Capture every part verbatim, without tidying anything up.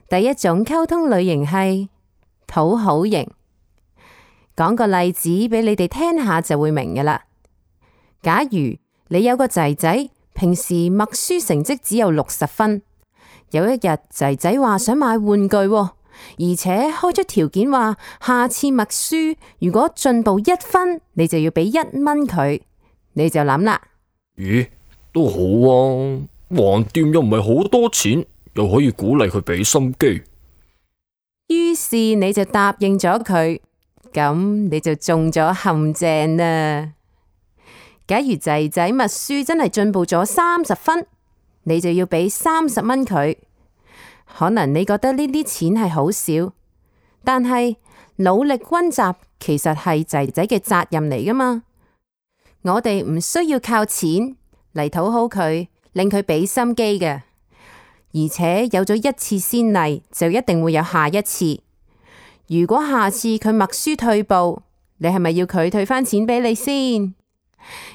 第一種溝通類型係討好型。講個例子俾你哋聽下就會明㗎喇。假如你有個仔仔，平時默書成績只有六十分，有一日仔仔話想買玩具，而且開出條件話下次默書如果進步一分，你就要俾一蚊佢。你就諗啦，咦，都好啊，橫掂又唔係好多錢，又可以鼓勵佢俾心機。於是你就答應咗佢，咁你就中咗陷阱啦。假如仔仔默書真係進步咗三十分，你就要俾三十蚊佢。可能你覺得呢啲錢係好少，但係努力溫習其實係仔仔嘅責任嚟㗎嘛。我哋唔需要靠錢嚟討好佢，令佢俾心機嘅。而且有咗一次先例，就一定會有下一次。如果下次佢默書退步，你係咪要佢退返錢俾你先？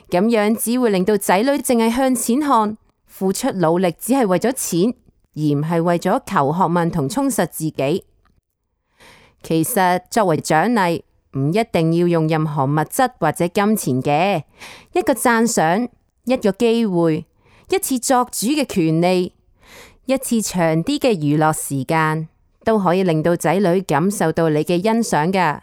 咁樣只會令到仔女淨係向錢看，付出努力只係為咗錢，而唔係為咗求學問同充實自己。其實作為獎勵，唔一定要用任何物質或者金錢嘅，一個讚賞，一個機會，一次作主嘅權利，一次長啲嘅娛樂時間，都可以令到仔女感受到你嘅欣賞㗎。